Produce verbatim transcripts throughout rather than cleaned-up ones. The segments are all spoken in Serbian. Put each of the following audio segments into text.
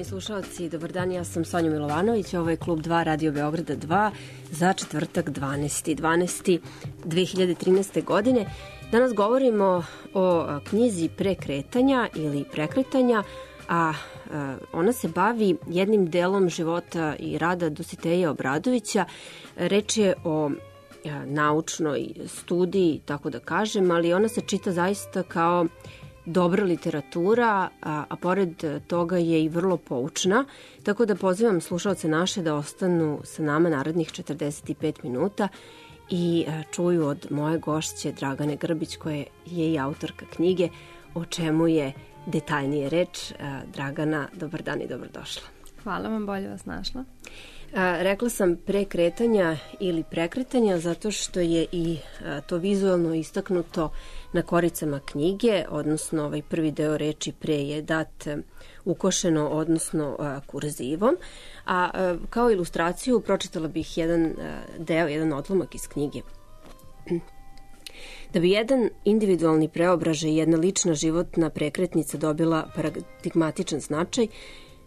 Poštovani slušalci, dobar dan, ja sam Sonja Milovanović, ovo je Klub dva Radio Beograda dva za četvrtak dvanaesti decembar dve hiljade trinaeste. godine. Danas govorimo o knjizi Prekretanja ili Prekretanja, a ona se bavi jednim delom života i rada Dositeja Obradovića. Reč je o naučnoj studiji, tako da kažem, ali ona se čita zaista kao dobra literatura, a, a pored toga je i vrlo poučna, tako da pozivam slušalce naše da ostanu sa nama narednih četrdeset pet minuta i a, čuju od moje gošće Dragane Grbić, koja je i autorka knjige, o čemu je detaljnije reč. A, Dragana, dobar dan i dobrodošla. Hvala vam, bolje vas našla. A, rekla sam Prekretanja ili Prekretanja zato što je i a, to vizualno istaknuto na koricama knjige, odnosno ovaj prvi deo reči pre je dat ukošeno, odnosno a, kurzivom. A, a kao ilustraciju pročitala bih jedan a, deo, jedan odlomak iz knjige. Da bi jedan individualni preobražaj i jedna lična životna prekretnica dobila paradigmatičan značaj,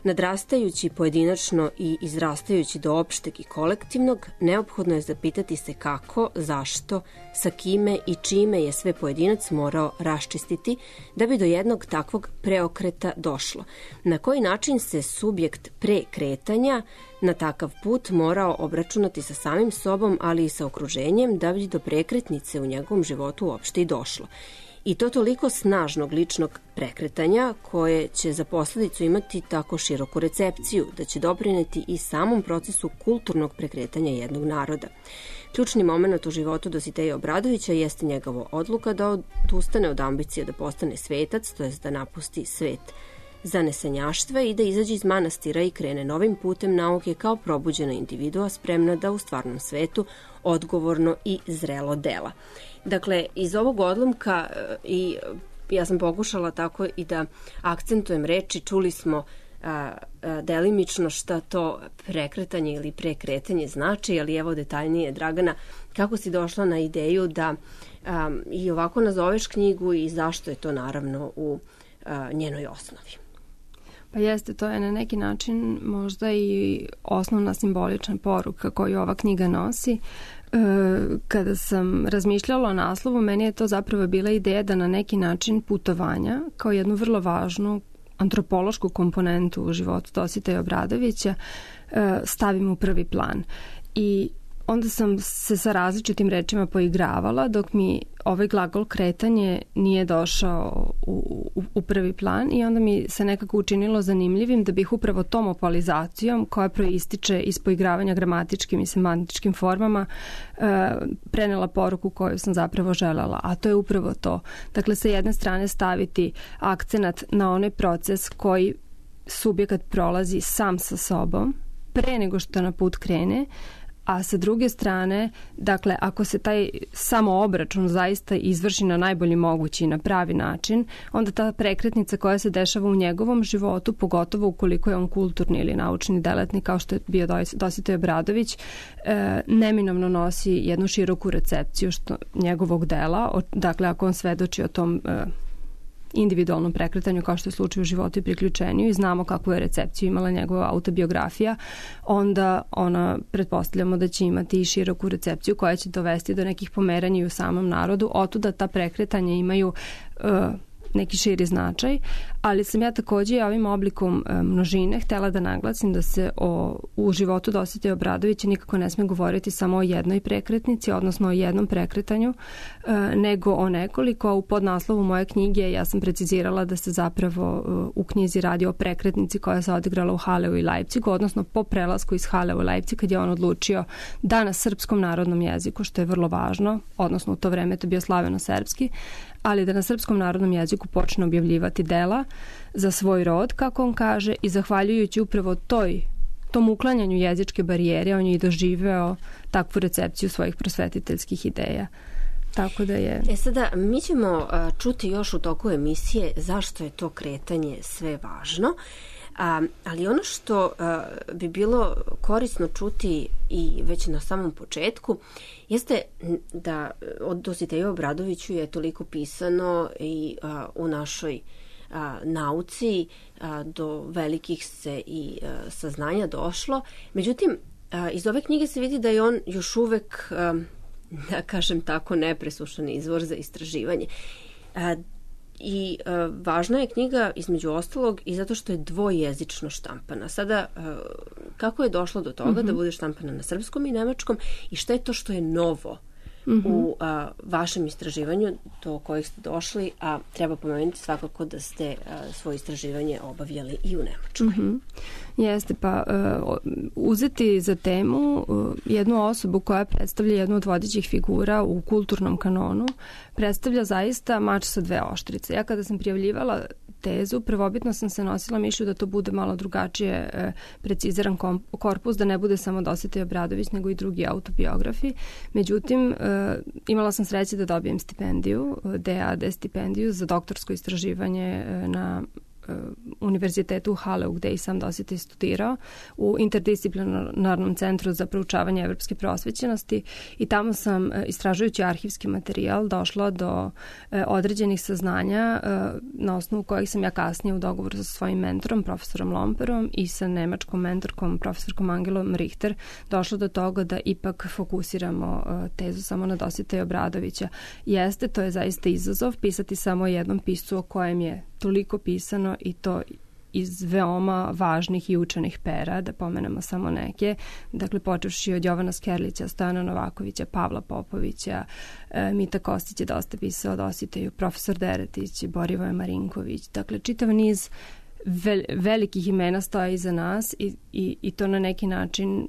nadrastajući pojedinačno i izrastajući do opšteg i kolektivnog, neophodno je zapitati se kako, zašto, sa kime i čime je sve pojedinac morao raščistiti da bi do jednog takvog preokreta došlo. Na koji način se subjekt prekretanja na takav put morao obračunati sa samim sobom, ali i sa okruženjem da bi do prekretnice u njegovom životu uopšte i došlo. I to toliko snažnog ličnog prekretanja koje će za posledicu imati tako široku recepciju da će doprineti i samom procesu kulturnog prekretanja jednog naroda. Ključni moment u životu Dositeja Obradovića jeste njegova odluka da odustane od ambicije da postane svetac, to jest da napusti svet zanesenjaštva i da izađe iz manastira i krene novim putem nauke kao probuđena individua spremna da u stvarnom svetu odgovorno i zrelo dela. Dakle, iz ovog odlomka i ja sam pokušala tako i da akcentujem reči, čuli smo a, a, delimično šta to prekretanje ili prekretanje znači, ali evo detaljnije, Dragana, kako si došla na ideju da a, i ovako nazoveš knjigu i zašto je to naravno u a, njenoj osnovi? Pa jeste, to je na neki način možda i osnovna simbolična poruka koju ova knjiga nosi. Kada sam razmišljala o naslovu, meni je to zapravo bila ideja da na neki način putovanja, kao jednu vrlo važnu antropološku komponentu u životu Dositeja Obradovića, stavim u prvi plan. I onda sam se sa različitim rečima poigravala dok mi ovaj glagol kretanje nije došao u, u, u prvi plan i onda mi se nekako učinilo zanimljivim da bih upravo tom opalizacijom koja proističe iz poigravanja gramatičkim i semantičkim formama e, prenela poruku koju sam zapravo želela, a to je upravo to. Dakle, sa jedne strane staviti akcenat na onaj proces koji subjekat prolazi sam sa sobom pre nego što na put krene, a sa druge strane, dakle, ako se taj samoobračun zaista izvrši na najbolji mogući i na pravi način, onda ta prekretnica koja se dešava u njegovom životu, pogotovo ukoliko je on kulturni ili naučni delatnik, kao što je bio Dositej Obradović, e, neminovno nosi jednu široku recepciju što, njegovog dela. Dakle, ako on svedoči o tom e, individualnom prekretanju, kao što je slučaj u životu i priključenju, i znamo kakvu je recepciju imala njegova autobiografija, onda ona, pretpostavljamo da će imati i široku recepciju koja će dovesti do nekih pomeranja u samom narodu. Otuda ta prekretanja imaju uh, neki širi značaj, ali sam ja takođe ovim oblikom e, množine htela da naglasim da se o, u životu Dositeja Obradovića nikako ne sme govoriti samo o jednoj prekretnici, odnosno o jednom prekretanju, e, nego o nekoliko. A u podnaslovu moje knjige ja sam precizirala da se zapravo e, u knjizi radi o prekretnici koja se odigrala u Haleu i Leipzigu, odnosno po prelasku iz Haleu i Leipzig kad je on odlučio da na srpskom narodnom jeziku, što je vrlo važno, odnosno u to vreme to bio slaveno-srpski, ali da na srpskom narodnom jeziku počne objavljivati dela za svoj rod, kako on kaže, i zahvaljujući upravo toj, tom uklanjanju jezičke barijere, on je i doživeo takvu recepciju svojih prosvetiteljskih ideja. Tako da je... E sada, mi ćemo uh, čuti još u toku emisije zašto je to kretanje sve važno, uh, ali ono što uh, bi bilo korisno čuti i već na samom početku jeste da od Dositeju Obradoviću je toliko pisano i uh, u našoj a, nauci, a, do velikih se i a, saznanja došlo. Međutim, a, iz ove knjige se vidi da je on još uvek, a, da kažem tako, nepresušan izvor za istraživanje. A, I a, važna je knjiga između ostalog i zato što je dvojezično štampana. Sada, a, kako je došlo do toga mm-hmm. da bude štampana na srpskom i nemačkom i šta je to što je novo mm-hmm. u a, vašem istraživanju do kojih ste došli, a treba pomenuti svakako da ste a, svoje istraživanje obavljali i u Nemačkoj. Mm-hmm. Jeste, pa uh, uzeti za temu uh, jednu osobu koja predstavlja jednu od vodećih figura u kulturnom kanonu, predstavlja zaista mač sa dve oštrice. Ja kada sam prijavljivala tezu, prvobitno sam se nosila mišlju da to bude malo drugačije e, preciziran korpus, da ne bude samo Dositej Obradović, nego i drugi autobiografi. Međutim, e, imala sam sreće da dobijem stipendiju, D A D stipendiju za doktorsko istraživanje e, na univerzitetu u Haleu, gde i sam Dositej studirao, u interdisciplinarnom centru za proučavanje evropske prosvećenosti, i tamo sam, istražujući arhivski materijal, došla do određenih saznanja na osnovu kojih sam ja kasnije u dogovoru sa svojim mentorom, profesorom Lomperom, i sa nemačkom mentorkom, profesorkom Angelom Richter, došla do toga da ipak fokusiramo tezu samo na Dositeja Obradovića. Jeste, to je zaista izazov, pisati samo jednom piscu o kojem je toliko pisano, i to iz veoma važnih i učenih pera, da pomenemo samo neke. Dakle, počevši od Jovana Skerlića, Stojana Novakovića, Pavla Popovića, e, Mita Kostić je dosta pisao o Dositeju, profesor Deretić, Borivoje Marinković. Dakle, čitav niz vel, velikih imena stoje iza nas i, i, i to na neki način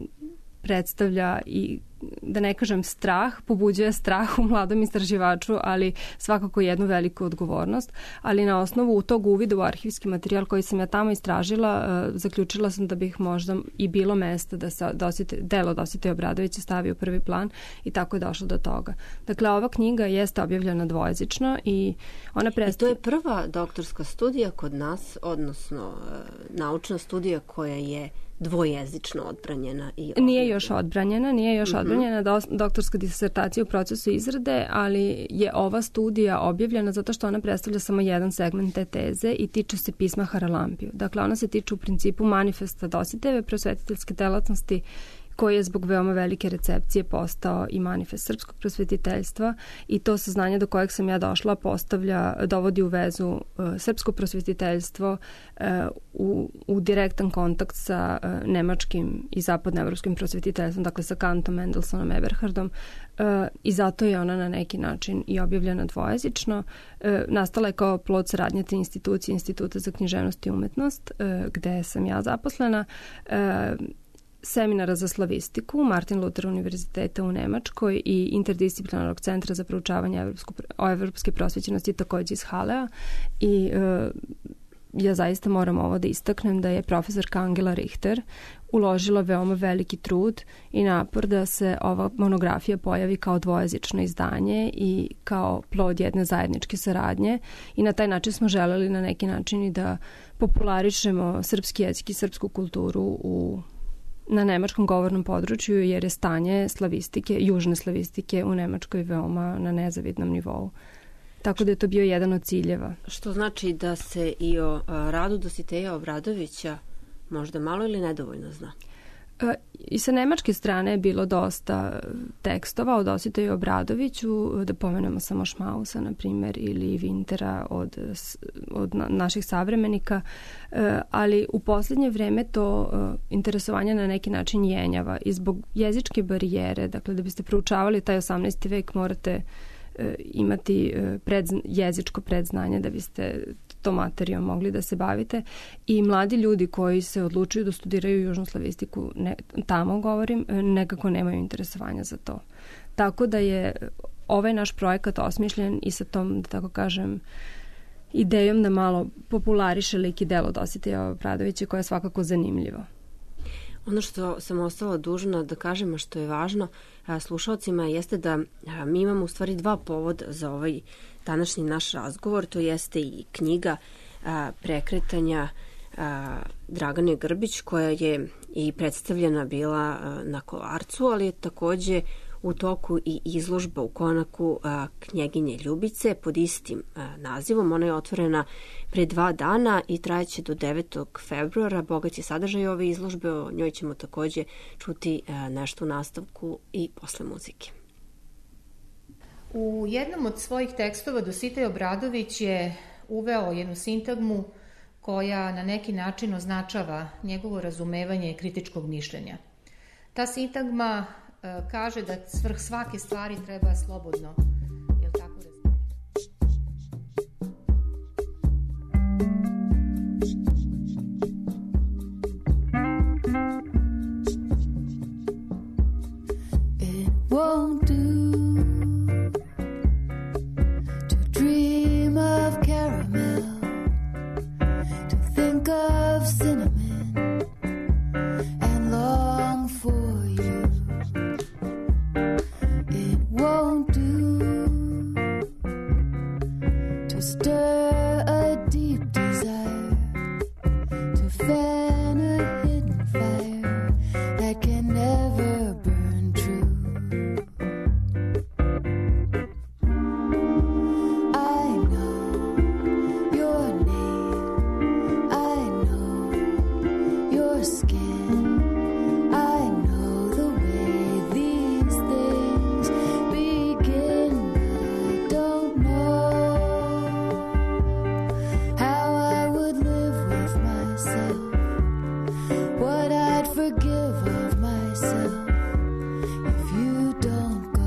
predstavlja i, da ne kažem strah, pobuđuje strah u mladom istraživaču, ali svakako jednu veliku odgovornost. Ali na osnovu tog uvida u arhivski materijal koji sam ja tamo istražila, uh, zaključila sam da bih možda i bilo mesta da se dosite, delo Dositeja Obradovića stavi u prvi plan, i tako je došlo do toga. Dakle, ova knjiga jeste objavljena dvojezično i ona predstavlja... I to je prva doktorska studija kod nas, odnosno uh, naučna studija koja je dvojezično odbranjena i objavljena. Nije još odbranjena, nije još mm-hmm. odbranjena do, doktorska disertacija u procesu izrade, ali je ova studija objavljena zato što ona predstavlja samo jedan segment te teze i tiče se pisma Haralampiju. Dakle, ona se tiče u principu manifesta Dositejeve prosvetiteljske delatnosti, koji je zbog veoma velike recepcije postao i manifest srpskog prosvetiteljstva, i to saznanje do kojeg sam ja došla postavlja, dovodi u vezu uh, srpsko prosvetiteljstvo uh, u, u direktan kontakt sa uh, nemačkim i zapadnoevropskim prosvetiteljstvom, dakle sa Kantom, Mendelsonom, Eberhardom, uh, i zato je ona na neki način i objavljena dvojezično. Uh, nastala je kao plod saradnje te institucije, Instituta za književnost i umetnost, uh, gde sam ja zaposlena, uh, seminara za slavistiku Martin Luther univerziteta u Nemačkoj i interdisciplinarnog centra za proučavanje evropsku, o evropske prosvećenosti takođe iz Halea. I e, ja zaista moram ovo da istaknem da je profesorka Angela Richter uložila veoma veliki trud i napor da se ova monografija pojavi kao dvojezično izdanje i kao plod jedne zajedničke saradnje, i na taj način smo želeli na neki način i da popularišemo srpski jezik i srpsku kulturu u na nemačkom govornom području, jer je stanje slavistike, južne slavistike u Nemačkoj veoma na nezavidnom nivou. Tako da je to bio jedan od ciljeva. Što znači da se i o radu Dositeja Obradovića možda malo ili nedovoljno zna? I sa nemačke strane je bilo dosta tekstova o Dositeju Obradoviću, da pomenemo samo Šmausa, na primjer, ili Wintera od, od naših savremenika, ali u posljednje vreme to interesovanje na neki način jenjava i zbog jezičke barijere. Dakle, da biste proučavali taj osamnaesti vek morate imati pred, jezičko predznanje da biste to materijom mogli da se bavite, i mladi ljudi koji se odlučuju da studiraju južnu slavistiku, ne, tamo govorim, nekako nemaju interesovanja za to. Tako da je ovaj naš projekat osmišljen i sa tom, da tako kažem, idejom da malo populariše lik i delo Dositeja Obradovića, koja je svakako zanimljivo. Ono što sam ostala dužna da kažem, a što je važno slušalcima, jeste da mi imamo u stvari dva povoda za ovaj današnji naš razgovor. To jeste i knjiga a, Prekretanja a, Dragane Grbić, koja je i predstavljena bila a, na Kolarcu, ali je takođe u toku i izložba u Konaku Knjeginje Ljubice pod istim nazivom. Ona je otvorena pre dva dana i trajeće do devetog februara. Bogat je sadržaj ove izložbe, o njoj ćemo takođe čuti nešto u nastavku i posle muzike. U jednom od svojih tekstova Dositej Obradović je uveo jednu sintagmu koja na neki način označava njegovo razumevanje kritičkog mišljenja. Ta sintagma e, kaže da svrh svake stvari treba slobodno, jel tako razumeti? It won't do to dream of caramel, to think of cinnamon and long for you. It won't do to stir a deep desire, to fan a hidden fire that can never burn true. I know your name, I know your skin, I know the way these things begin, but I don't know how I would live with myself, what I'd forgive of myself if you don't go.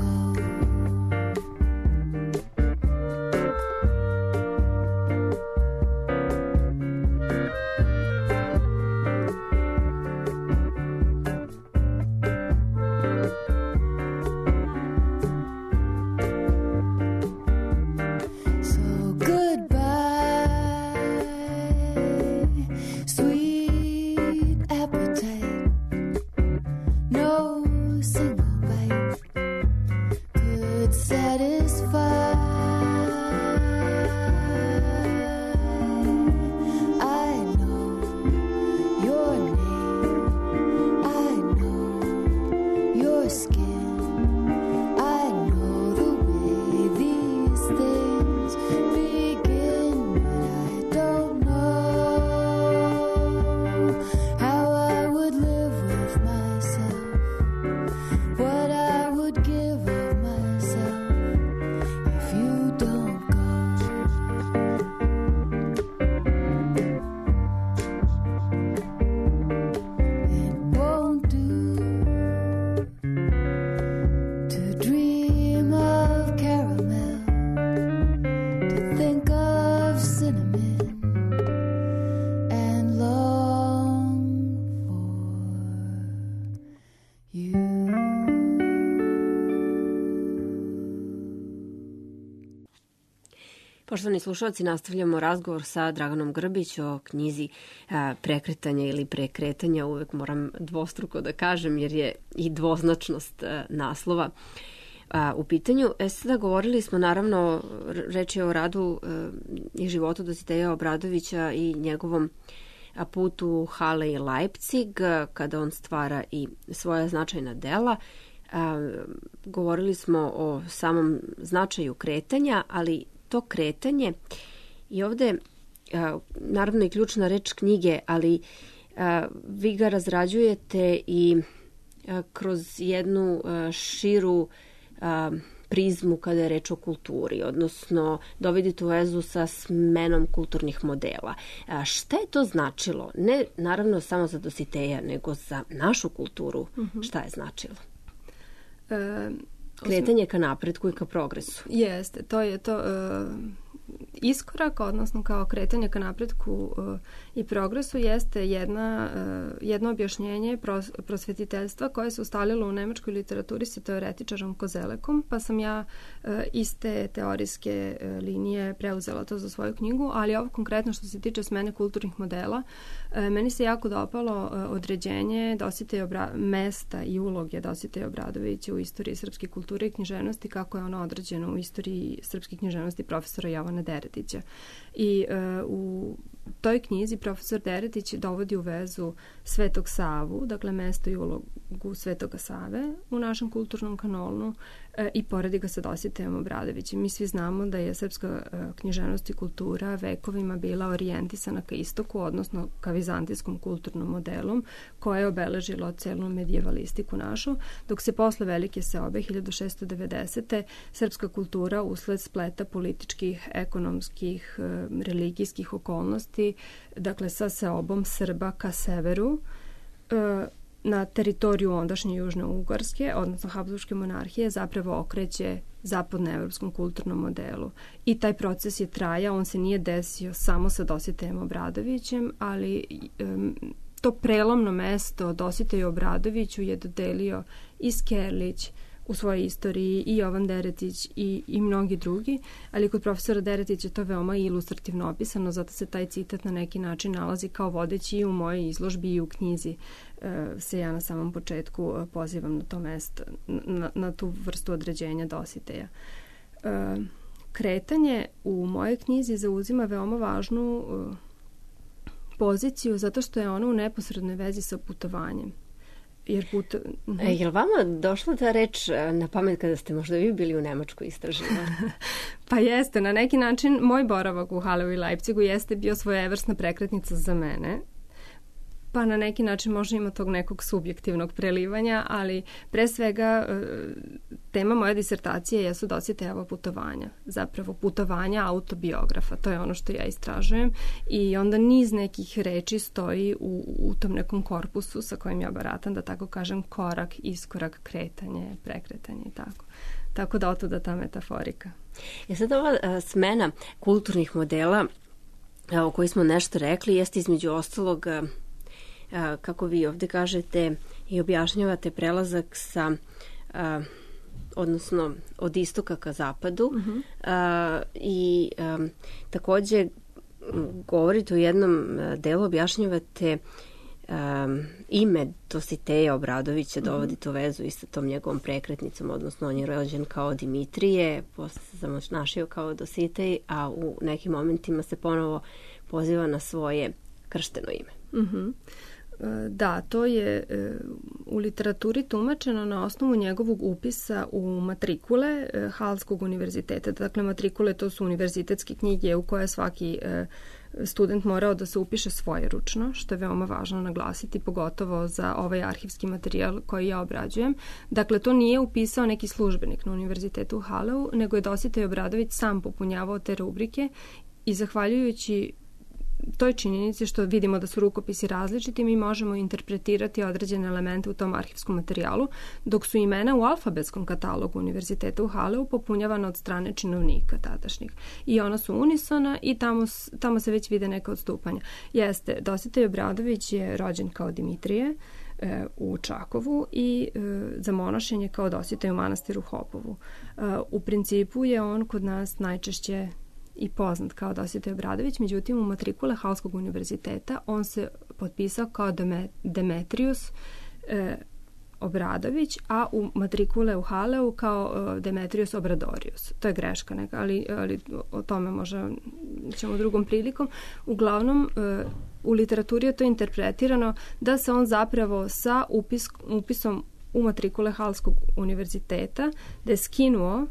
So goodbye, sweet appetite. No single bite could satisfy. I know your name, I know your skin, I know the way these things begin, but I don't know how I would live with myself, what I would give of myself if you don't go. It won't do to dream of caramel, to think of cinnamon and long for you. Poštovani slušalci, nastavljamo razgovor sa Draganom Grbić o knjizi a, Prekretanja ili prekretanja. Uvek moram dvostruko da kažem jer je i dvoznačnost a, naslova a, u pitanju. E sada govorili smo, naravno, reč je o radu a, i životu Dositeja Obradovića i njegovom a, putu Halle i Leipzig, a, kada on stvara i svoja značajna dela. A, govorili smo o samom značaju kretanja, ali to kretanje i ovde a, naravno i ključna reč knjige, ali a, vi ga razrađujete i a, kroz jednu a, širu a, prizmu kada je reč o kulturi, odnosno dovodite u vezu sa smenom kulturnih modela. A, šta je to značilo? Ne naravno samo za Dositeja, nego za našu kulturu. Mm-hmm. Šta je značilo? E, Kretanje ka napretku i ka progresu. Jeste, to je to uh, iskorak, odnosno kao kretanje ka napretku uh, i progresu jeste jedna, uh, jedno objašnjenje pros, prosvetiteljstva koje se ustalilo u nemačkoj literaturi sa teoretičarom Kozelekom, pa sam ja uh, iz te teorijske uh, linije preuzela to za svoju knjigu, ali ovo konkretno što se tiče smene kulturnih modela, uh, meni se jako dopalo uh, određenje Dositeja Obra- mesta i uloge Dositeja Obradovića u istoriji srpske kulture i književnosti, kako je ono određeno u istoriji srpske književnosti profesora Jovana Deretića. I uh, u toj knjizi profesor Deretić dovodi u vezu Svetog Savu, dakle mesto i ulogu Svetoga Save u našem kulturnom kanonu e, i poredi ga sa Dositejem Obradovićem. Mi svi znamo da je srpska e, književnost i kultura vekovima bila orijentisana ka istoku, odnosno ka vizantijskom kulturnom modelom koje je obeležilo celu medijevalistiku našu, dok se posle Velike seobe hiljadu šessto devedesete. srpska kultura usled spleta političkih, ekonomskih, e, religijskih okolnosti, dakle sa seobom Srba ka severu, e, na teritoriju ondašnje Južne Ugarske, odnosno Habsburške monarhije, zapravo okreće zapadnoevropskom kulturnom modelu. I taj proces je trajao, on se nije desio samo sa Dositejem Obradovićem, ali um, to prelomno mesto Dositeju Obradoviću je dodelio i Skerlić u svojoj istoriji, i Jovan Deretić i, i mnogi drugi, ali kod profesora Deretića je to veoma ilustrativno opisano, zato se taj citat na neki način nalazi kao vodeći i u mojoj izložbi i u knjizi. E, se ja na samom početku pozivam na to mesto, na, na tu vrstu određenja Dositeja. E, kretanje u mojoj knjizi zauzima veoma važnu e, poziciju zato što je ona u neposrednoj vezi sa putovanjem. Jer put... uh-huh. E, je li vama došla ta reč na pamet kada ste možda vi bili u Nemačkoj istraživali? Pa jeste, na neki način moj boravak u Haleu i Leipzigu jeste bio svojevrsna prekretnica za mene. Pa na neki način možda ima tog nekog subjektivnog prelivanja, ali pre svega tema moje disertacije jesu Dositejeva putovanja. Zapravo putovanja autobiografa, to je ono što ja istražujem i onda niz nekih reči stoji u, u tom nekom korpusu sa kojim ja baratam, da tako kažem, korak, iskorak, kretanje, prekretanje i tako. Tako da otuda ta metaforika. Je sad ova a, smena kulturnih modela a, o kojoj smo nešto rekli, jeste između ostalog... A, A, kako vi ovde kažete i objašnjavate prelazak sa a, odnosno od istoka ka zapadu uh-huh. a, i a, takođe govorite u jednom delu, objašnjavate a, ime Dositeja Obradovića, uh-huh. dovodite u vezu i sa tom njegovom prekretnicom, odnosno on je rođen kao Dimitrije, posle se zamoćnašio kao Dositej, a u nekim momentima se ponovo poziva na svoje kršteno ime. Mhm. Da, to je u literaturi tumačeno na osnovu njegovog upisa u matrikule Halskog univerziteta. Dakle, matrikule to su univerzitetske knjige u koje svaki student morao da se upiše svojeručno, što je veoma važno naglasiti, pogotovo za ovaj arhivski materijal koji ja obrađujem. Dakle, to nije upisao neki službenik na univerzitetu u Haleu, nego je Dositej Obradović sam popunjavao te rubrike i zahvaljujući toj činjenici što vidimo da su rukopisi različiti, mi možemo interpretirati određene elemente u tom arhivskom materijalu, dok su imena u alfabetskom katalogu univerziteta u Haleu popunjavana od strane činovnika tadašnjih. I ona su unisona i tamo, tamo se već vide neka odstupanja. Jeste, Dositej Obradović je rođen kao Dimitrije e, u Čakovu i e, zamonašen je kao Dositej u manastiru Hopovu. E, u principu je on kod nas najčešće i poznat kao Dositej Obradović, međutim u matrikule Halskog univerziteta on se potpisao kao Demetrius e, Obradović, a u matrikule u Haleu kao e, Demetrius Obradorius. To je greška neka, ali, ali o tome možda ćemo drugom prilikom. Uglavnom, e, u literaturi je to interpretirano da se on zapravo sa upis, upisom u matrikule Halskog univerziteta da je skinuo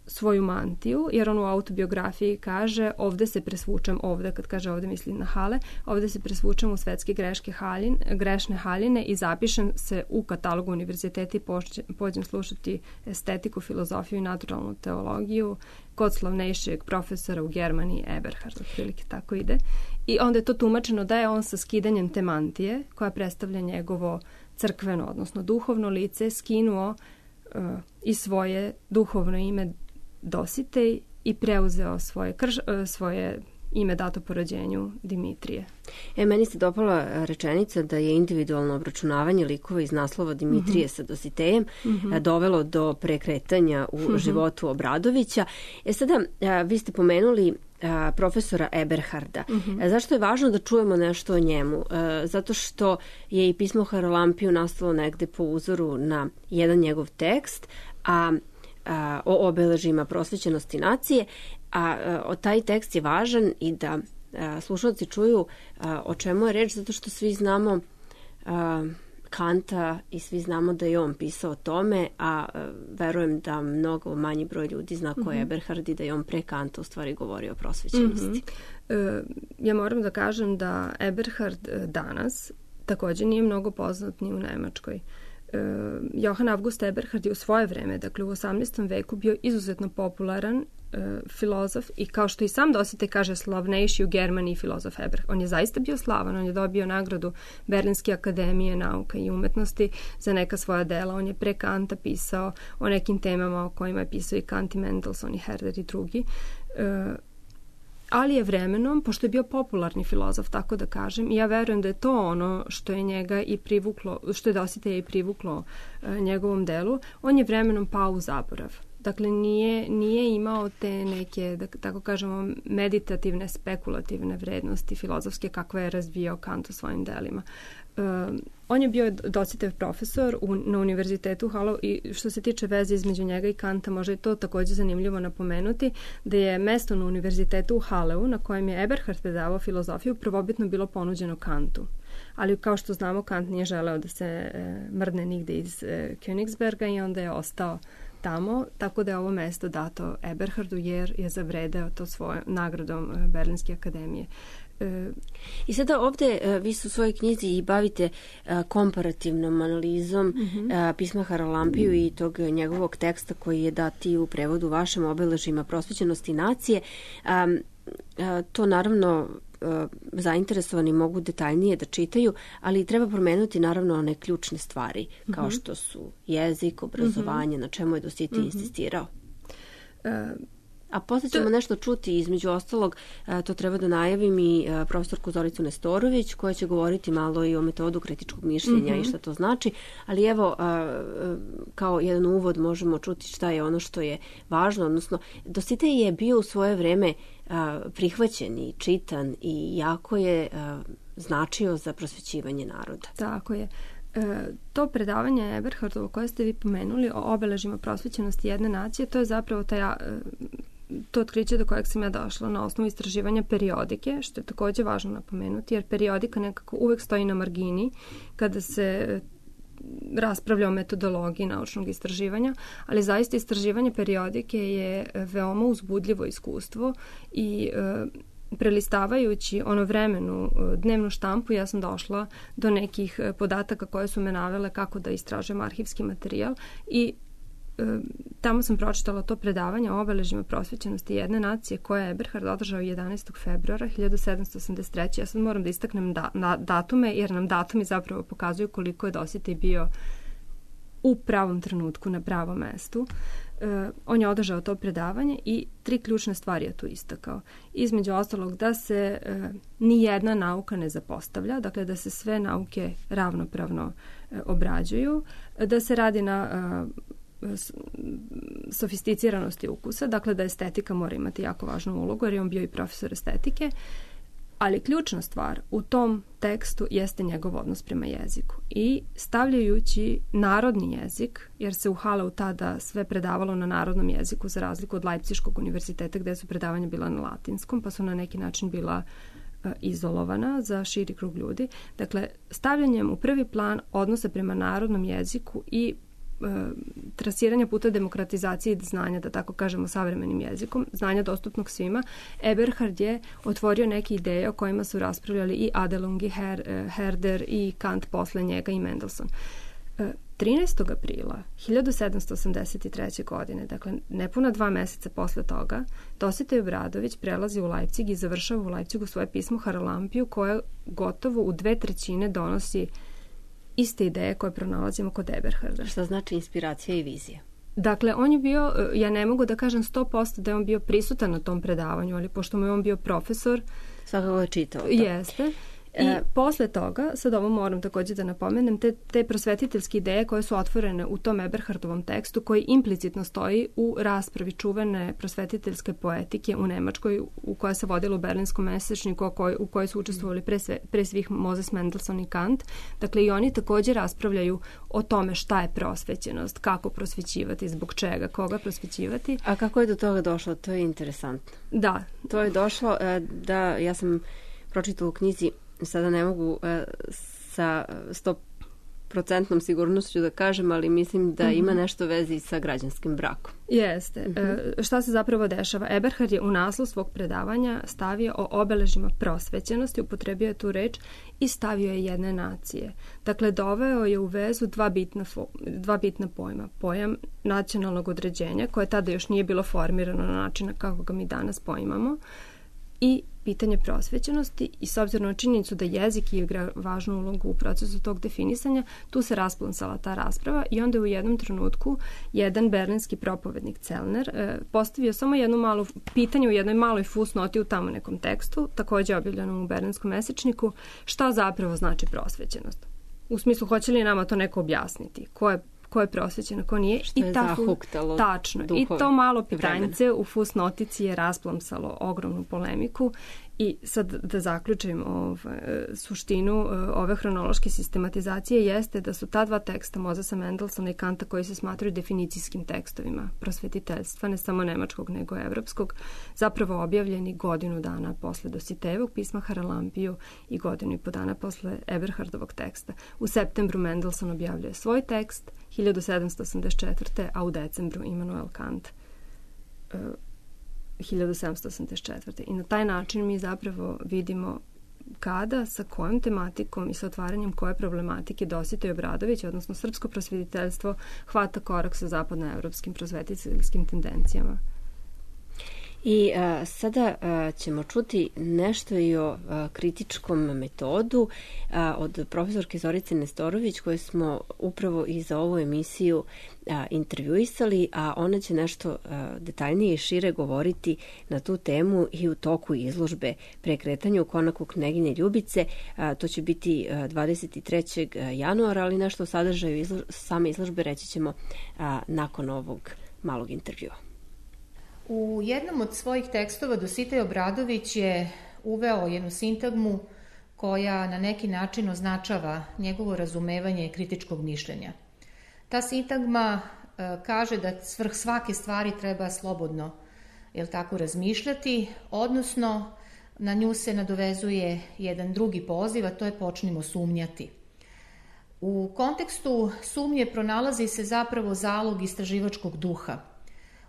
svoju mantiju, jer on u autobiografiji kaže ovde se presvučem, ovde, kad kaže ovde misli na Hale, ovde se presvučem u svetske greške haljin, grešne haljine i zapišem se u katalogu univerziteta i pođem slušati estetiku, filozofiju i naturalnu teologiju kod slavnejšeg profesora u Germaniji, Eberhard, otprilike tako ide. I onda je to tumačeno da je on sa skidanjem te mantije, koja predstavlja njegovo crkveno, odnosno duhovno lice, skinuo uh, i svoje duhovno ime Dositej i preuzeo svoje, krš, svoje ime dato po rođenju Dimitrije. E, meni se dopala rečenica da je individualno obračunavanje likova iz naslova Dimitrije mm-hmm. sa Dositejem mm-hmm. dovelo do prekretanja u mm-hmm. životu Obradovića. E sada, vi ste pomenuli a, profesora Eberharda. Mm-hmm. Zašto je važno da čujemo nešto o njemu? A, zato što je i pismo Haralampiju nastalo negde po uzoru na jedan njegov tekst, a o obeležima prosvećenosti nacije, a o taj tekst je važan i da slušalci čuju o čemu je reč, zato što svi znamo Kanta i svi znamo da je on pisao o tome, a verujem da mnogo manji broj ljudi zna ko je mm-hmm. Eberhard i da je on pre Kanta u stvari govorio o prosvećenosti. Mm-hmm. E, ja moram da kažem da Eberhard danas također nije mnogo poznat ni u Nemačkoj. E, Johann August Eberhard je u svoje vreme, dakle u osamnaestom veku, bio izuzetno popularan e, filozof i kao što i sam Dositej kaže, slavnejši u Germaniji filozof Eberhard. On je zaista bio slavan, on je dobio nagradu Berlinske akademije nauka i umetnosti za neka svoja dela. On je pre Kanta pisao o nekim temama o kojima je pisao i Kant i Mendelssohn i Herder i drugi. E, ali je vremenom, pošto je bio popularni filozof, tako da kažem, i ja verujem da je to ono što je njega i privuklo, što je Dositeja i privuklo e, njegovom delu, on je vremenom pao u zaborav. Dakle, nije, nije imao te neke, da tako kažemo, meditativne, spekulativne vrednosti filozofske kakve je razvijao Kant u svojim delima. Uh, on je bio Dositejev profesor u, na univerzitetu u Halle i što se tiče veze između njega i Kanta, možda je to također zanimljivo napomenuti, da je mesto na univerzitetu u Halleu na kojem je Eberhard predavao filozofiju prvobitno bilo ponuđeno Kantu. Ali kao što znamo, Kant nije želeo da se e, mrdne nigde iz e, Königsberga i onda je ostao tamo, tako da je ovo mesto dato Eberhardu jer je zavredeo to svojom nagradom e, Berlinske akademije. I sada ovdje vi se u svojoj knjizi i bavite komparativnom analizom mm-hmm. pisma Haralampiju i tog njegovog teksta koji je dati u prevodu vašem obeležima prosvećenosti nacije. To naravno zainteresovani mogu detaljnije da čitaju, ali treba promenuti naravno one ključne stvari mm-hmm. kao što su jezik, obrazovanje, mm-hmm. na čemu je Dositej mm-hmm. insistirao. Uh, A posle ćemo nešto čuti, između ostalog, to treba da najavim i profesorku Zoricu Nestorović, koja će govoriti malo i o metodu kritičkog mišljenja mm-hmm. i šta to znači, ali evo, kao jedan uvod možemo čuti šta je ono što je važno, odnosno Dositej je bio u svoje vreme prihvaćen i čitan i jako je značio za prosvećivanje naroda. Tako je. E, to predavanje Eberhardovo koje ste vi pomenuli o obeležima prosvećenosti jedne nacije, to je zapravo taj, to otkriće do kojeg sam ja došla na osnovu istraživanja periodike, što je također važno napomenuti, jer periodika nekako uvek stoji na margini kada se raspravlja o metodologiji naučnog istraživanja, ali zaista istraživanje periodike je veoma uzbudljivo iskustvo i e, prelistavajući ono vremenu dnevnu štampu, ja sam došla do nekih podataka koje su me navele kako da istražujem arhivski materijal i e, tamo sam pročitala to predavanje o obeležima prosvećenosti jedne nacije koje je Eberhard održao jedanaestog februara hiljadu sedamsto osamdeset treće. Ja sad moram da istaknem da, na, datume, jer nam datumi zapravo pokazuju koliko je Dositej bio u pravom trenutku na pravom mestu. Uh, on je održao to predavanje i tri ključne stvari je tu istakao. Između ostalog da se uh, ni jedna nauka ne zapostavlja, dakle da se sve nauke ravnopravno uh, obrađuju, da se radi na uh, sofisticiranosti ukusa, dakle da estetika mora imati jako važnu ulogu jer je on bio i profesor estetike, ali ključna stvar u tom tekstu jeste njegov odnos prema jeziku. I stavljajući narodni jezik, jer se u Halleu tada sve predavalo na narodnom jeziku, za razliku od Leipziškog univerziteta gdje su predavanja bila na latinskom, pa su na neki način bila uh, izolovana za širi krug ljudi. Dakle, stavljanjem u prvi plan odnosa prema narodnom jeziku i trasiranja puta demokratizacije znanja, da tako kažemo savremenim jezikom, znanja dostupnog svima, Eberhard je otvorio neke ideje o kojima su raspravljali i Adelung i Her, Herder i Kant posle njega i Mendelssohn. trinaestog aprila hiljadu sedamsto osamdeset treće. godine, dakle nepuna dva meseca posle toga, Dositej Obradović prelazi u Leipzig i završava u Leipzigu svoje pismo Haralampiju koje gotovo u dve trećine donosi iste ideje koje pronalazimo kod Eberharda. Šta znači inspiracija i vizija? Dakle, on je bio, ja ne mogu da kažem sto posto da je on bio prisutan na tom predavanju, ali pošto mu je on bio profesor, svakako je čitao to. Jeste. I e... posle toga, sad ovo moram takođe da napomenem, te, te prosvetiteljske ideje koje su otvorene u tom Eberhardovom tekstu, koji implicitno stoji u raspravi čuvene prosvetiteljske poetike u Nemačkoj, u koja se vodila u Berlinskom mesečniku, koj, u kojoj su učestvovali pre, sve, pre svih Moses Mendelssohn i Kant. Dakle, i oni takođe raspravljaju o tome šta je prosvećenost, kako prosvećivati, zbog čega, koga prosvećivati. A kako je do toga došlo? To je interesantno. Da. To je došlo da, ja sam pročitala u knjizi, sada ne mogu sa sto procentnom sigurnošću da kažem, ali mislim da ima nešto vezi sa građanskim brakom. Jeste. Uh-huh. E, šta se zapravo dešava? Eberhard je u naslov svog predavanja stavio o obeležima prosvećenosti, upotrebio je tu reč i stavio je jedne nacije. Dakle, doveo je u vezu dva bitna, fo, dva bitna pojma. Pojam nacionalnog određenja, koje tada još nije bilo formirano na način kako ga mi danas poimamo, i pitanje prosvećenosti, i s obzirom na činjenicu da jezik igra važnu ulogu u procesu tog definisanja, tu se rasplonsala ta rasprava i onda je u jednom trenutku jedan berlinski propovednik Celner e, postavio samo jedno malo pitanje u jednoj maloj fusnoti u tamo nekom tekstu, takođe objavljenom u Berlinskom mesečniku, šta zapravo znači prosvećenost. U smislu, hoće li nama to neko objasniti? Ko je ko je prosvećeno, ko nije. Što je I ta zahuktalo tačno. duhove. I to malo pitanjice u fusnotici je rasplomsalo ogromnu polemiku. I sad da zaključim ovaj, suštinu ove hronološke sistematizacije jeste da su ta dva teksta Mosesa Mendelssohna i Kanta, koji se smatraju definicijskim tekstovima prosvetiteljstva, ne samo nemačkog nego evropskog, zapravo objavljeni godinu dana posle Dositejevog pisma Haralampiju i godinu i po dana posle Eberhardovog teksta. U septembru Mendelssohn objavljuje svoj tekst, hiljadu sedamsto osamdeset četvrte. a u decembru Immanuel Kant hiljadu sedamsto osamdeset četvrte. I na taj način mi zapravo vidimo kada, sa kojom tematikom i sa otvaranjem koje problematike Dositej Obradović, odnosno srpsko prosvetiteljstvo, hvata korak sa zapadnoevropskim prosvetiteljskim tendencijama. I a, sada a, ćemo čuti nešto i o a, kritičkom metodu a, od profesorke Zorice Nestorović, koju smo upravo i za ovu emisiju a, intervjuisali, a ona će nešto a, detaljnije i šire govoriti na tu temu i u toku izložbe Prekretanje u konaku Kneginje Ljubice. A, to će biti a, dvadeset trećeg januara, ali nešto o sadržaju izlo, same izložbe reći ćemo a, nakon ovog malog intervjua. U jednom od svojih tekstova Dositej Obradović je uveo jednu sintagmu koja na neki način označava njegovo razumevanje kritičkog mišljenja. Ta sintagma e, kaže da svrh svake stvari treba slobodno, jel tako, razmišljati, odnosno na nju se nadovezuje jedan drugi poziv, a to je počnimo sumnjati. U kontekstu sumnje pronalazi se zapravo zalog istraživačkog duha.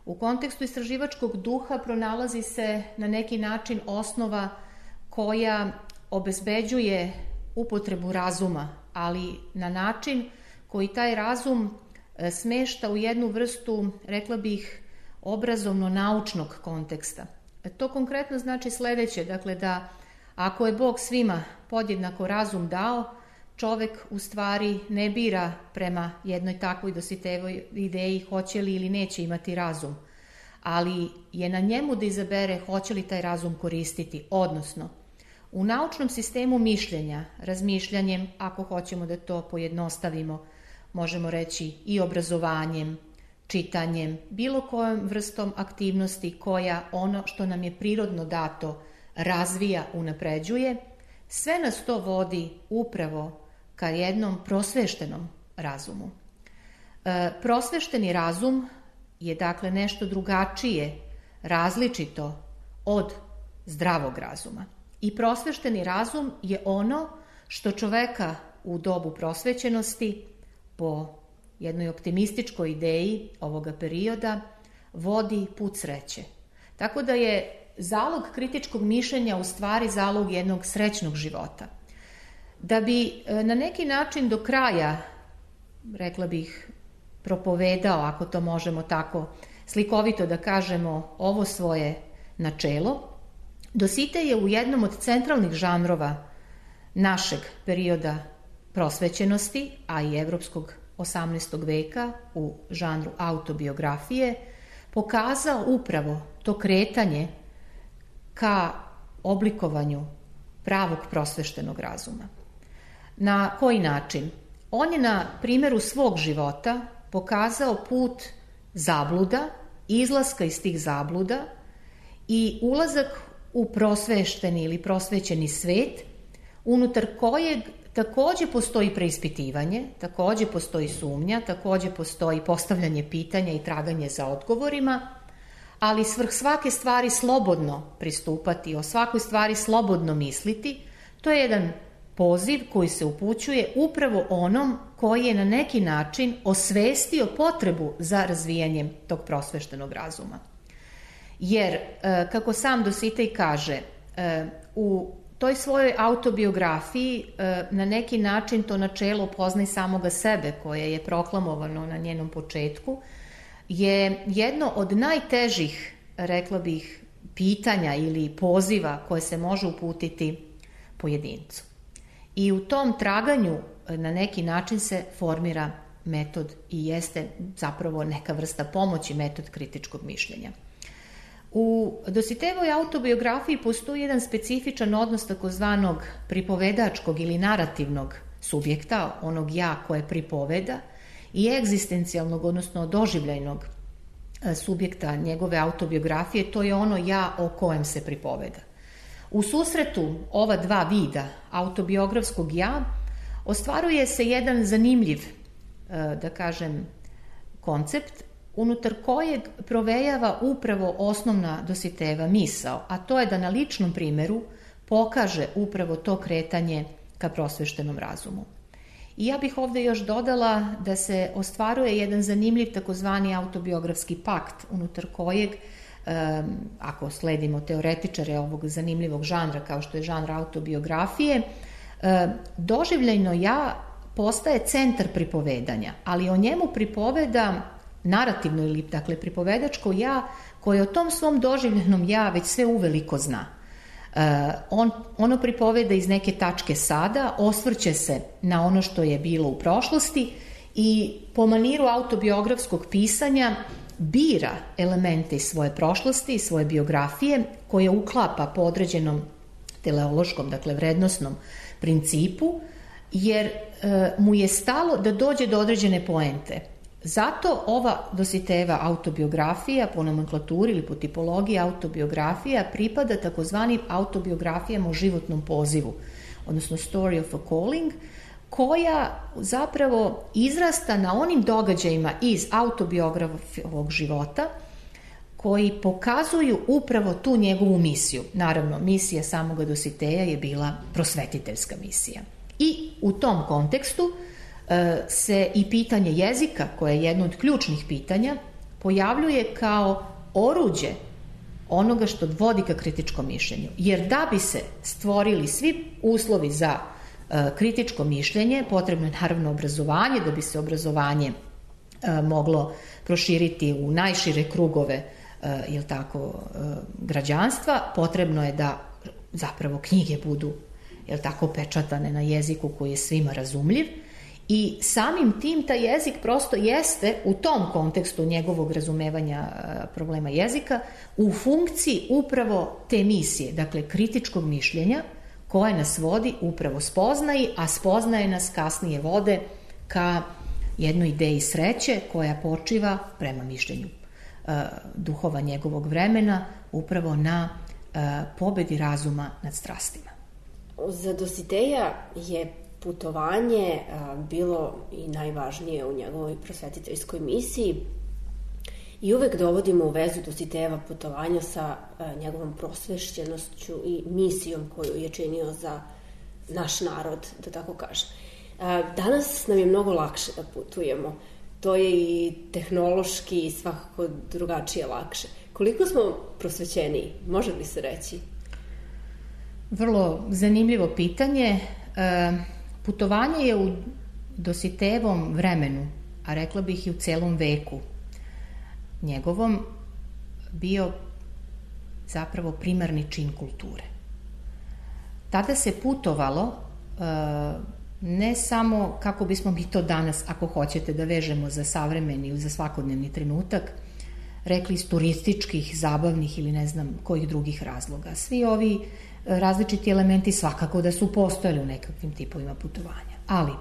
U kontekstu istraživačkog duha pronalazi se na neki način osnova koja obezbeđuje upotrebu razuma, ali na način koji taj razum smešta u jednu vrstu, rekla bih, obrazovno-naučnog konteksta. To konkretno znači sledeće, dakle da ako je Bog svima podjednako razum dao, čovek u stvari ne bira prema jednoj takvoj Dositejevoj ideji hoće li ili neće imati razum, ali je na njemu da izabere hoće li taj razum koristiti, odnosno u naučnom sistemu mišljenja, razmišljanjem, ako hoćemo da to pojednostavimo, možemo reći i obrazovanjem, čitanjem, bilo kojom vrstom aktivnosti koja ono što nam je prirodno dato razvija, unapređuje, sve nas to vodi upravo ka jednom prosveštenom razumu. E, prosvešteni razum je dakle nešto drugačije, različito od zdravog razuma. I prosvešteni razum je ono što čoveka u dobu prosvećenosti, po jednoj optimističkoj ideji ovoga perioda, vodi put sreće. Tako da je zalog kritičkog mišljenja u stvari zalog jednog srećnog života. Da bi na neki način do kraja, rekla bih, propovedao, ako to možemo tako slikovito da kažemo, ovo svoje načelo, Dositej je u jednom od centralnih žanrova našeg perioda prosvećenosti, a i evropskog osamnaestog veka u žanru autobiografije, pokazao upravo to kretanje ka oblikovanju pravog prosveštenog razuma. Na koji način? On je na primjeru svog života pokazao put zabluda, izlaska iz tih zabluda i ulazak u prosvešteni ili prosvećeni svet, unutar kojeg takođe postoji preispitivanje, takođe postoji sumnja, takođe postoji postavljanje pitanja i traganje za odgovorima, ali svrh svake stvari slobodno pristupati, o svakoj stvari slobodno misliti, to je jedan poziv koji se upućuje upravo onom koji je na neki način osvestio potrebu za razvijanjem tog prosveštenog razuma. Jer, kako sam Dositej kaže, u toj svojoj autobiografiji na neki način to načelo poznaj samoga sebe, koje je proklamovano na njenom početku, je jedno od najtežih, rekla bih, pitanja ili poziva koje se može uputiti pojedincu. I u tom traganju na neki način se formira metod i jeste zapravo neka vrsta pomoći, metod kritičkog mišljenja. U Dositejevoj autobiografiji postoji jedan specifičan odnos takozvanog pripovedačkog ili narativnog subjekta, onog ja koje pripoveda, i egzistencijalnog, odnosno doživljajnog subjekta njegove autobiografije, to je ono ja o kojem se pripoveda. U susretu ova dva vida autobiografskog ja ostvaruje se jedan zanimljiv, da kažem, koncept unutar kojeg provejava upravo osnovna Dositejeva misao, a to je da na ličnom primjeru pokaže upravo to kretanje ka prosveštenom razumu. I ja bih ovde još dodala da se ostvaruje jedan zanimljiv takozvani autobiografski pakt unutar kojeg, ako sledimo teoretičare ovog zanimljivog žanra kao što je žanr autobiografije, doživljajno ja postaje centar pripovedanja, ali o njemu pripoveda narativno ili dakle pripovedačko ja koje o tom svom doživljenom ja već sve uveliko zna. On, ono pripoveda iz neke tačke sada, osvrće se na ono što je bilo u prošlosti i po maniru autobiografskog pisanja bira elemente iz svoje prošlosti, iz svoje biografije, koje uklapa po određenom teleološkom, dakle vrednosnom principu, jer e, mu je stalo da dođe do određene poente. Zato ova Dositejeva autobiografija po nomenklaturi ili po tipologiji autobiografija pripada takozvanim autobiografijama o životnom pozivu, odnosno story of a calling, koja zapravo izrasta na onim događajima iz autobiografovog života koji pokazuju upravo tu njegovu misiju. Naravno, misija samoga Dositeja je bila prosvetiteljska misija. I u tom kontekstu se i pitanje jezika, koje je jedno od ključnih pitanja, pojavljuje kao oruđe onoga što vodi ka kritičkom mišljenju. Jer da bi se stvorili svi uslovi za kritičko mišljenje, potrebno je naravno obrazovanje, da bi se obrazovanje moglo proširiti u najšire krugove, jel tako, građanstva, potrebno je da zapravo knjige budu, jel tako, pečatane na jeziku koji je svima razumljiv. I samim tim taj jezik prosto jeste u tom kontekstu njegovog razumevanja problema jezika u funkciji upravo te misije, dakle kritičkog mišljenja koje nas vodi upravo spoznaji, a spoznaje nas kasnije vode ka jednoj ideji sreće koja počiva prema mišljenju uh, duhova njegovog vremena upravo na uh, pobedi razuma nad strastima. Za Dositeja je putovanje a, bilo i najvažnije u njegovoj prosvetiteljskoj misiji i uvek dovodimo u vezu Dositejeva putovanja sa a, njegovom prosvešćenošću i misijom koju je činio za naš narod, da tako kažem. A, danas nam je mnogo lakše da putujemo. To je i tehnološki i svakako drugačije lakše. Koliko smo prosvećeniji, može li se reći? Vrlo zanimljivo pitanje. E, Putovanje je u Dositejevom vremenu, a rekla bih i u celom veku njegovom, bio zapravo primarni čin kulture. Tada se putovalo ne samo kako bismo mi to danas, ako hoćete da vežemo za savremeni ili za svakodnevni trenutak, rekli iz turističkih, zabavnih ili ne znam kojih drugih razloga. Svi ovi različiti elementi svakako da su postojali u nekakvim tipovima putovanja. Ali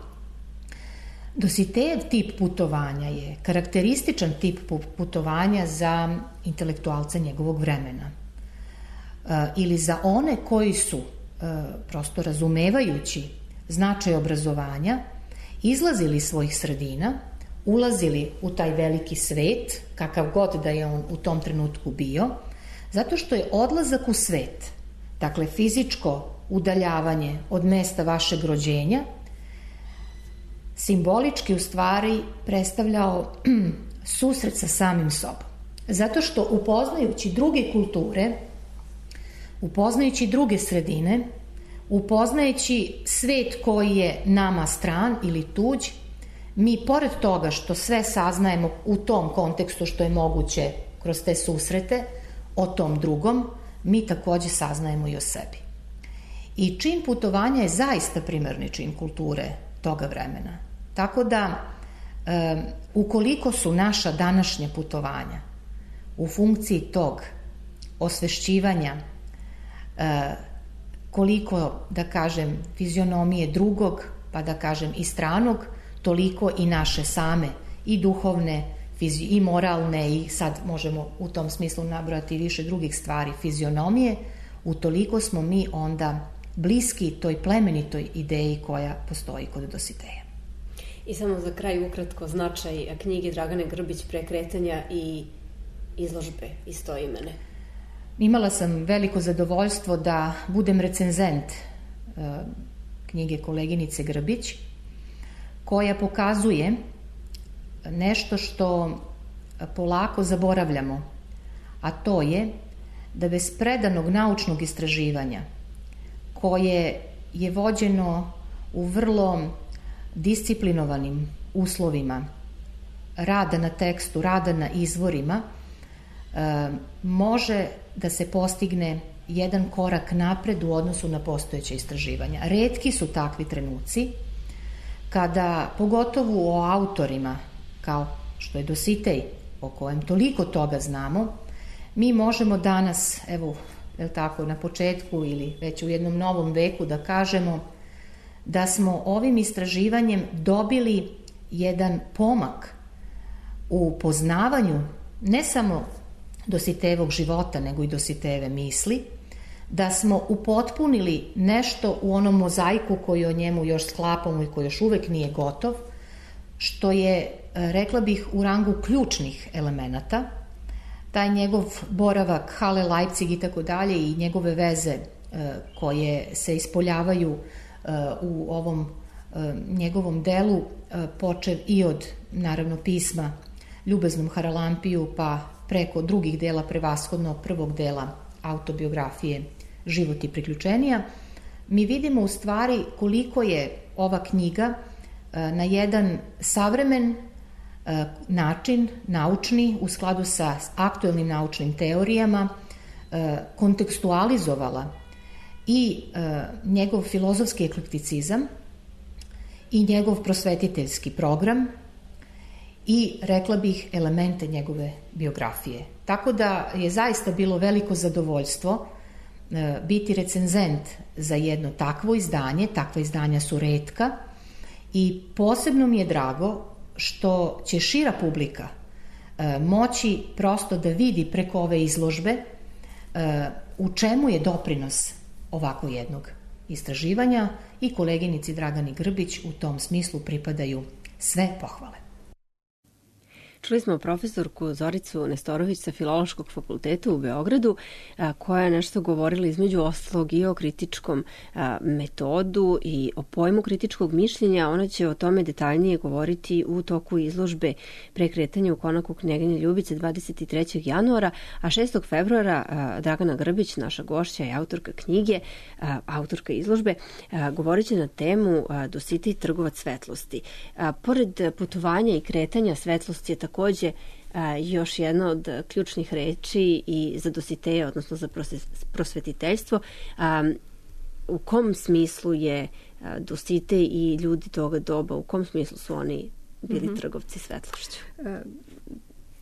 Dositejev tip putovanja je karakterističan tip putovanja za intelektualca njegovog vremena. E, ili za one koji su, e, prosto razumevajući značaj obrazovanja, izlazili iz svojih sredina, ulazili u taj veliki svet, kakav god da je on u tom trenutku bio, zato što je odlazak u svet, dakle fizičko udaljavanje od mesta vašeg rođenja, simbolički u stvari predstavljao susret sa samim sobom. Zato što upoznajući druge kulture, upoznajući druge sredine, upoznajući svet koji je nama stran ili tuđ, mi pored toga što sve saznajemo u tom kontekstu što je moguće kroz te susrete o tom drugom, mi takođe saznajemo i o sebi. I čin putovanja je zaista primarni čin kulture toga vremena. Tako da, e, ukoliko su naša današnja putovanja u funkciji tog osvešćivanja, e, koliko, da kažem, fizionomije drugog, pa da kažem i stranog, toliko i naše same, i duhovne, i moralne, i sad možemo u tom smislu nabrojati više drugih stvari, fizionomije, utoliko smo mi onda bliski toj plemenitoj ideji koja postoji kod Dositeja. I samo za kraj ukratko značaj knjige Dragane Grbić Prekretanja i izložbe istoimene. Imala sam veliko zadovoljstvo da budem recenzent e, knjige koleginice Grbić, koja pokazuje nešto što polako zaboravljamo, a to je da bez predanog naučnog istraživanja, koje je vođeno u vrlo disciplinovanim uslovima, rada na tekstu, rada na izvorima, e, može da se postigne jedan korak napred u odnosu na postojeće istraživanja. Retki su takvi trenuci kada, pogotovo o autorima, kao što je Dositej, o kojem toliko toga znamo, mi možemo danas, evo, je li tako, na početku ili već u jednom novom veku da kažemo da smo ovim istraživanjem dobili jedan pomak u poznavanju ne samo Dositejevog života, nego i Dositejeve misli, da smo upotpunili nešto u onom mozaiku koji o njemu još sklapamo i koji još uvek nije gotov, što je, rekla bih, u rangu ključnih elemenata. Taj njegov boravak, Halle, Leipzig i tako dalje i njegove veze koje se ispoljavaju u ovom njegovom delu, počev i od, naravno, pisma Ljubaznom Haralampiju, pa preko drugih dela, prevashodno prvog dela autobiografije Život i priključenija, mi vidimo u stvari koliko je ova knjiga na jedan savremen način, naučni, u skladu sa aktuelnim naučnim teorijama, kontekstualizovala i njegov filozofski eklekticizam i njegov prosvetiteljski program i, rekla bih, elemente njegove biografije. Tako da je zaista bilo veliko zadovoljstvo biti recenzent za jedno takvo izdanje. Takva izdanja su retka i posebno mi je drago što će šira publika moći prosto da vidi preko ove izložbe u čemu je doprinos ovako jednog istraživanja, i koleginici Dragani Grbić u tom smislu pripadaju sve pohvale. Čuli smo profesorku Zoricu Nestorović sa Filološkog fakulteta u Beogradu, koja je nešto govorila između ostalog i o kritičkom metodu i o pojmu kritičkog mišljenja. Ona će o tome detaljnije govoriti u toku izložbe Prekretanja u konaku Knjeginje Ljubice dvadeset trećeg januara, a šestog februara Dragana Grbić, naša gošća i autorka knjige, autorka izložbe, govorit će na temu Dositej trgovac svetlosti. Pored putovanja i kretanja, svetlost je takođe još jedna od ključnih reči i za Dositeja, odnosno za prosvetiteljstvo. U kom smislu je Dositej i ljudi toga doba, u kom smislu su oni bili mm-hmm. trgovci svetlošću?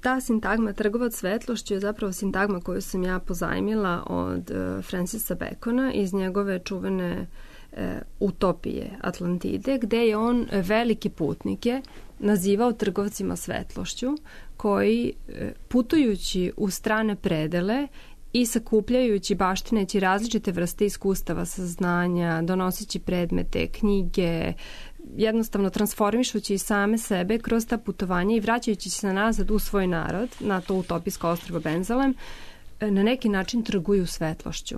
ta sintagma trgovac svetlošću je zapravo sintagma koju sam ja pozajmila od uh, Francisa Bacona iz njegove čuvene uh, utopije Atlantide, gde je on velike putnike nazivao trgovcima svetlošću, koji uh, putujući u strane predele i sakupljajući, baštineći različite vrste iskustava, saznanja, donoseći predmete, knjige, jednostavno transformišući same sebe kroz ta putovanja i vraćajući se nazad u svoj narod, na to utopijsko ostrvo Benzalem, na neki način trguju svetlošću.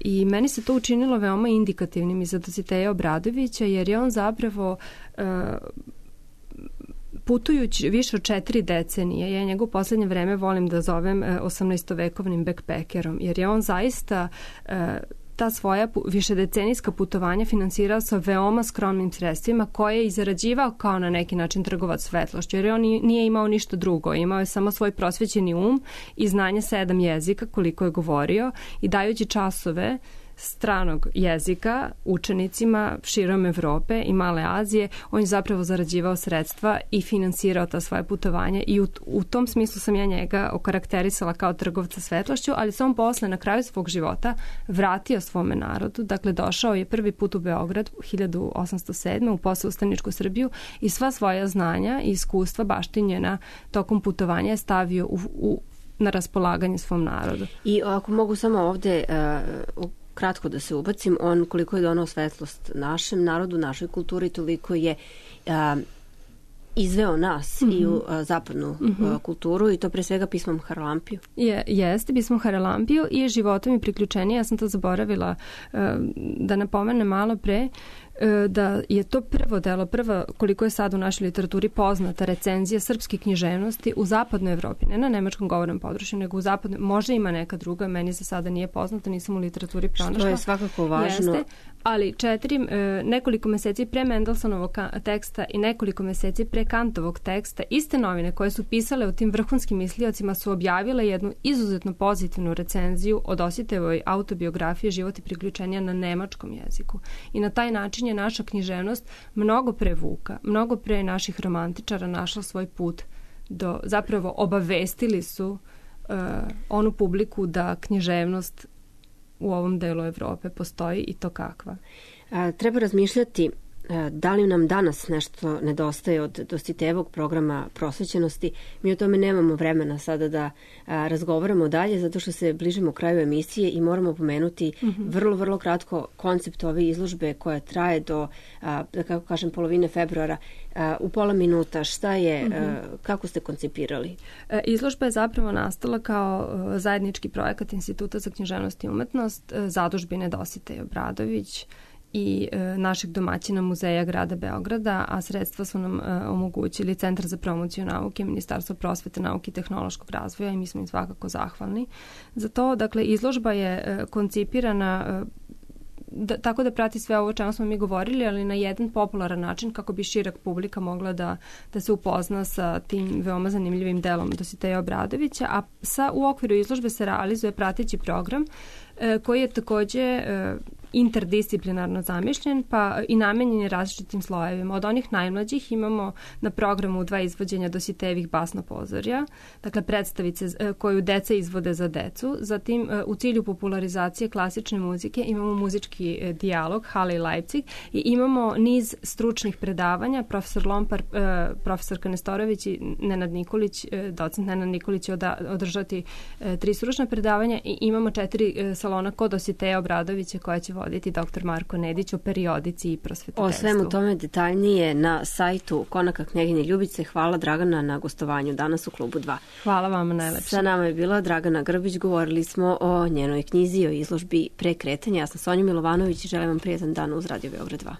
I meni se to učinilo veoma indikativnim i za Dositeja Obradovića, jer je on zapravo putujući više od četiri decenije, ja njegov poslednje vreme volim da zovem osamnaestovekovnim backpackerom, jer je on zaista ta svoja višedecenijska putovanja finansirao sa veoma skromnim sredstvima koje je i zarađivao kao na neki način trgovac svetlošću, jer on nije imao ništa drugo, imao je samo svoj prosvećeni um i znanje sedam jezika koliko je govorio i dajući časove stranog jezika učenicima širom Evrope i Male Azije, on je zapravo zarađivao sredstva i finansirao ta svoje putovanja i u, u tom smislu sam ja njega okarakterisala kao trgovca svetlošću, ali se on posle na kraju svog života vratio svome narodu, dakle došao je prvi put u Beograd hiljadu osamsto sedme u posle-ustaničku Srbiju i sva svoja znanja i iskustva baštinjena tokom putovanja je stavio u, u, na raspolaganje svom narodu. I ako mogu samo ovde uh, kratko da se ubacim, on koliko je donao svetlost našem narodu, našoj kulturi, toliko je a, izveo nas mm-hmm. i u a, zapadnu mm-hmm. a, kulturu i to pre svega pismom Haralampiju. Je, jeste, pismom Haralampiju i životom i priključenje. Ja sam to zaboravila a, da napomenem malo pre, da je to prvo delo, prva koliko je sad u našoj literaturi poznata recenzija srpske književnosti u zapadnoj Evropi, ne na nemačkom govornom području, nego u zapadnoj, možda ima neka druga, meni za sada nije poznata, nisam u literaturi pronašla. Što je svakako važno. Jeste, ali četiri, nekoliko meseci pre Mendelsonovog teksta i nekoliko meseci pre Kantovog teksta, iste novine koje su pisale o tim vrhunskim misliocima su objavile jednu izuzetno pozitivnu recenziju o Dositejevoj autobiografiji Život i priključenja na nemačkom jeziku. I na taj način je naša književnost mnogo pre Vuka, mnogo pre naših romantičara našla svoj put do, zapravo obavestili su uh, onu publiku da književnost u ovom delu Evrope postoji i to kakva. A, treba razmišljati da li nam danas nešto nedostaje od Dositejevog programa prosvećenosti. Mi o tome nemamo vremena sada da a, razgovaramo dalje, zato što se bližimo kraju emisije i moramo pomenuti mm-hmm. vrlo, vrlo kratko koncept ove izložbe koja traje do, a, da kako kažem, polovine februara. A, u pola minuta, šta je, mm-hmm. a, kako ste koncipirali? Izložba je zapravo nastala kao zajednički projekat Instituta za književnost i umetnost, zadužbine Dositej Obradović i e, našeg domaćina Muzeja grada Beograda, a sredstva su nam e, omogućili Centar za promociju nauke, Ministarstvo prosvete, nauke i tehnološkog razvoja i mi smo im svakako zahvalni za to. Dakle, izložba je e, koncipirana e, da, tako da prati sve ovo o čemu smo mi govorili, ali na jedan popularan način kako bi širak publika mogla da, da se upozna sa tim veoma zanimljivim delom Dositeja Obradovića, a sa, u okviru izložbe se realizuje prateći program e, koji je takođe e, interdisciplinarno zamišljen, pa i namenjen je različitim slojevima. Od onih najmlađih imamo na programu dva izvođenja Dositejevih basnopozorja, dakle predstavice koju deca izvode za decu. Zatim u cilju popularizacije klasične muzike imamo muzički dijalog Halle i Leipzig i imamo niz stručnih predavanja. Profesor Lompar, profesorka Nestorović i Nenad Nikolić, docent Nenad Nikolić će održati tri stručna predavanja i imamo četiri salona kod Dositeja Obradovića koja će voditi doktor Marko Nedić o periodici i prosvetiteljstvu. O svemu tome detaljnije na sajtu Konaka knjeginje Ljubice. Hvala Dragana na gostovanju danas u Klubu dva. Hvala vama najlepše. Sa nama je bila Dragana Grbić, govorili smo o njenoj knjizi, o izložbi Prekretanja. Ja sam Sonja Milovanović i želim vam prijetan dan uz Radio Beograd dva.